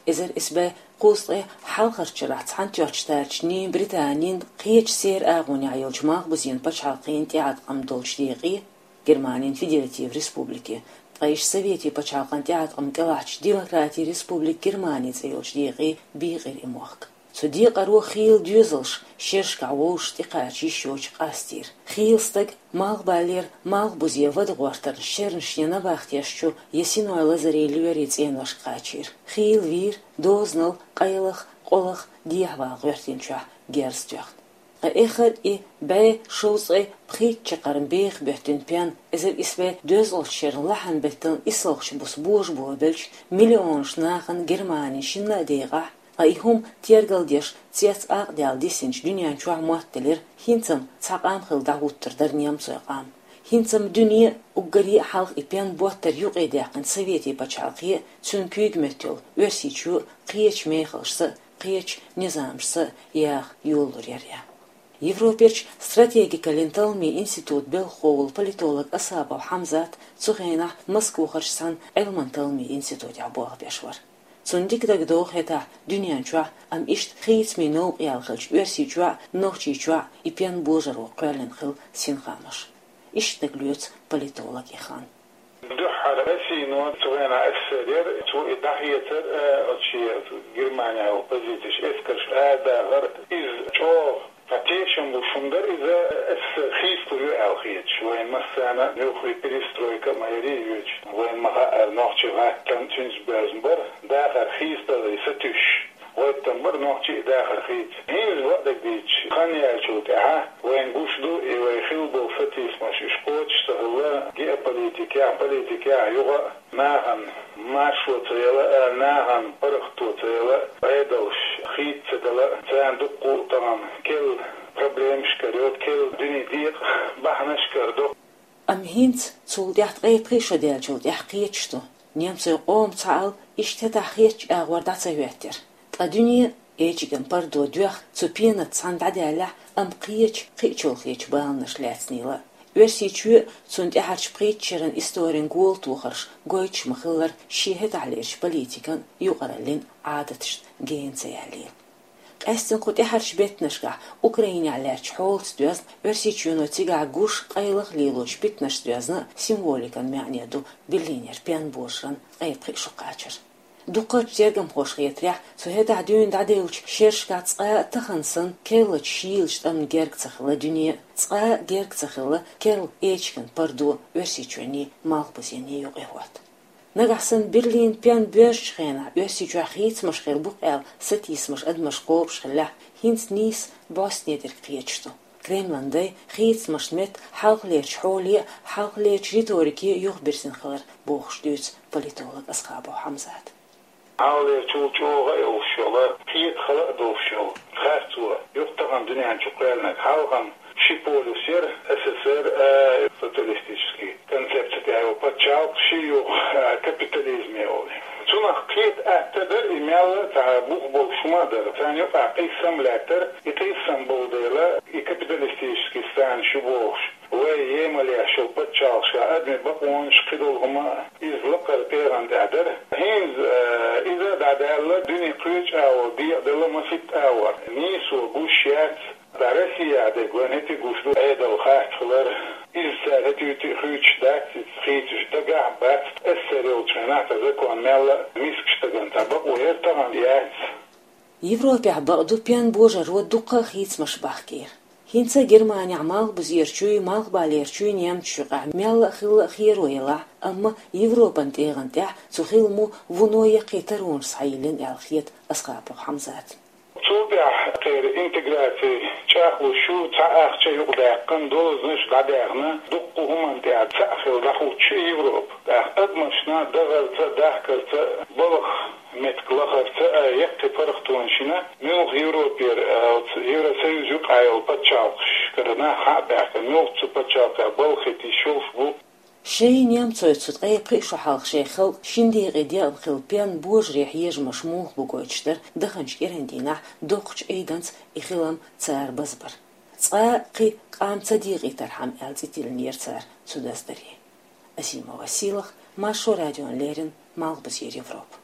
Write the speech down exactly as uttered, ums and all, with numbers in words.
Эзар исс бӀе кхузткъе хьалхарчарахь цхьаьнатоьхначу тарчний Британин кхечу сера агӀонехь йолчу Малхбузен пачхьалкхийн тӀеӀаткъам долчу декъе, Германин Федератив Республике, ткъа иштта Советийн пачхьалкхан тӀеӀаткъам кӀелахьчу Демократийн Республика Германи цӀе йолчу декъе бийкъира и мохк. Цу декъаро хийла доьзалш шерашкахь вовшашка тӀекхача йиш йоцуш къастийра. Хийла стаг малхбалера малхбузе вада гӀортарна шернаш я набахтешчу, я синой лазаре лоьрийн цӀеношка кхачийра. Хийла вийра дозанал, къайлаха, къолаха дехьавала гӀоьртинчохь герз тоьхна. Ткъа эххар а и бӀе шовзткъе пхийтта чаккхарма беха боьттина пен, эзар исс бӀе доьзткъалгӀачу шеран лахьан-беттан исслагӀчу буса божабо белча, миллионаш нахана Германин шинна а декъахь, ткъа и хӀума тергалдеш цец акъадаьлла дисинчу дуьнен чохь моттаделира, хӀинца-м цхьа къам хилла дӀахӀуттур дара немцойн къам. ХӀинца-м дуьне а, уггаре а хьалха и пен боттар юкъадаьккхина Советийн пачхьалкхе а, цуьнан куьйга меттайолу Оьрсийчоь а кхечу мехаллашца а, кхечу низамашца а яха йолалур яра. Европерчу стратегикаллин талламийн институтан белхахо волу политолог Асхабов Хьамзат цу хенахь Москвахарчу цхьана Ӏилман талламийн институтехь болх беш вара. Цунна дика дагадогӀу хӀетахь дуьнен чохь, амма иштта хийцамийн новкъа яьлла хиллачу Оьрсийчохь а, Нохчийчохь а и пен божаро кхоьллина хилла синхамаш. Иштта дагалоьцу политолога и хан. Дуьххьара Россино цу хенахь СССР яра, цо и дӀахецар, э, оцу шен Германехь йолу позицеш, эскарш арадахар, иза чӀогӀа, ткъа тешам луш хӀума дара иза, СССР хийцалур ю аьлла хеташ, вайн массарна а муьлххе перестройка а ма ярий йоьдуш, вайн ма-хаъара, нохчийн гӀаттам цуьнца боьзна бара, дахар хийцадаларе сатуьйсуш. ГӀоьттина бара нохчий дахар хийца. ХӀинца бакъдерг дийцича, хан яьллачул тӀаьхьа вайна гуш ду, и вай хилла болу сатийсамаш, уьш кхочуш ца хилла, геополитикехь, политикехь, юха а нахана маршо ца яла а, нахана паргӀато ца яла а, Ӏедалш хийца ца дала а, царна дуккха а тахана керла проблемаш карайо, керла дуьне декъа бахьанаш карадо. Амма хӀинца цул тӀаьхьа ткъе пхи шо даьллачул тӀаьхьа кхеташ ду, немцойн къоман цхьаалла иштта хӀетахь хетачу агӀор дӀа ца хӀоьттира. Ткъа дуьне, эчиган пардо доьхна, цу пенаца цхьаьна дӀадаьллехь, амма кхечу, кхин а чолхечу баланаш лаьцнийла а. Оьрсийчоь а, цунна тӀаьхьарчу пхийтта шеран историн голатохарш гойтуш ма-хиллара, шен хӀетахьлерчу политикан а, юкъараллин а Ӏадаташна гена ца яьллийла. Къаьсттина кху тӀаьхьарчу беттанашкахь Украинехь лаьттачу хьолаца доьзна, Оьрсийчоьно цигахь гуш, къайлаха лелочу питанашца доьзна а, символикан маьӀне ду Берлинера пен божаран ткъе пхи шо кхачар. Дуккхачу тергамхоша хетарехь, цу хӀетахь дуьйна дӀадевллачу шерашкахь цкъа а тахана санна керлачу шийлачу тӀамна герга ца хилла дуьне а, цкъа а герга ца хилла керла эчиган пардо Оьрсийчоьнний, Малхбузенний юкъахӀотта. Нагахь санна Берлинан пен боьжначу хенахь Оьрсийчохь хийцамаш хир бу-кх аьлла сатийсамаш адамашна кхобуш хиллехь, хӀинца нийса бӀостанедерг кхеташ ду. Кремлан дай хийцамашна метта хьалхалерчу хьоле а, хьалхалерчу риторике а юхабирзина хилар бохуш дуьйцу политолог Асхабов Хьамзата. Хьалхалерчул чӀогӀа а йолуш йолу, кхета хала а долуш йолу харцо, юха тахана дуьнен чу кхоьллинарг, хьалха-м ши полюс яра, СССР, а, социалистический концепция тӀехь йолу пачхьалкх, ши юха, а, капитализм йолу. Цунах кхета атта дара, и мел а цхьа бух болуш хӀума а дара. Царна юкъахь къийсам лаьттара, и къийсам болу дела, и капиталистический страна шу бохуш, вай емал еш йолу пачхьалкхашкахь адамийн бакъонаш, кхидолу хӀума а, иза лакхара тӀегӀан тӀехь дара. ХӀинца, а, иза дӀадаьлла, дуьне кхечу агӀор декъаделла масийтта агӀор. Нийсо гуш яц. Ткъа Россехь дерг вайна хӀетте гуш ду, Ӏедал харц хилар. Иза цара хӀетте а хуьйцуш дац, иза хийцуш дагахь а бац. СССР йолчу хенахь цхьа закон мел а мискачу стагана цхьа бакъо яра, тахана яц. Европехь бакъду пен божаро дуккха а хийцамаш бахкийра. ХӀинца Германехь малхбузерчуй, малхбалерчуй немцашна юкъахь мел а хилла а херо елахь, амма Европан тӀегӀан тӀехь цу хиламо вуно яккхий таронаш схьайиллина аьлла хета Асхабов Хьамзатна. Цул тӀаьхьа кхеран интеграци чӀагӀлуш ю, цхьа ахча юкъадаьккхина, дозанаш дӀадаьхна, дуккха хӀуманна тӀехь цхьаъ хилла дӀахӀуттуш ю Европа. ТӀаккха адамашна дахарца, дахкарца, балха меттиг лахарца а яккхий паргӀатонаш йина, муьлха Европера, а, оцу Евросоюз юкъахь йолу пачхьалкхашкара нах хьа а баьхкина, муьлха цу пачхьалкхехь балха хӀиттийш йолуш бу. Шайн немцойн цу ткъе пхи шо хьалха шайн халкъан шина декъе декъна хилла пен божаре хьежамаш муха бу гойтуш дара даханчу кӀиран дийнахь доккхачу Ӏийданца и хилам цара базбар. Цкъа а кхин къам ца декъийтархьама аьлла цӀе тиллинера цара цу даздаре. Азимова Сийлаха, Маршо радиона леррина, Малхбузера Европа.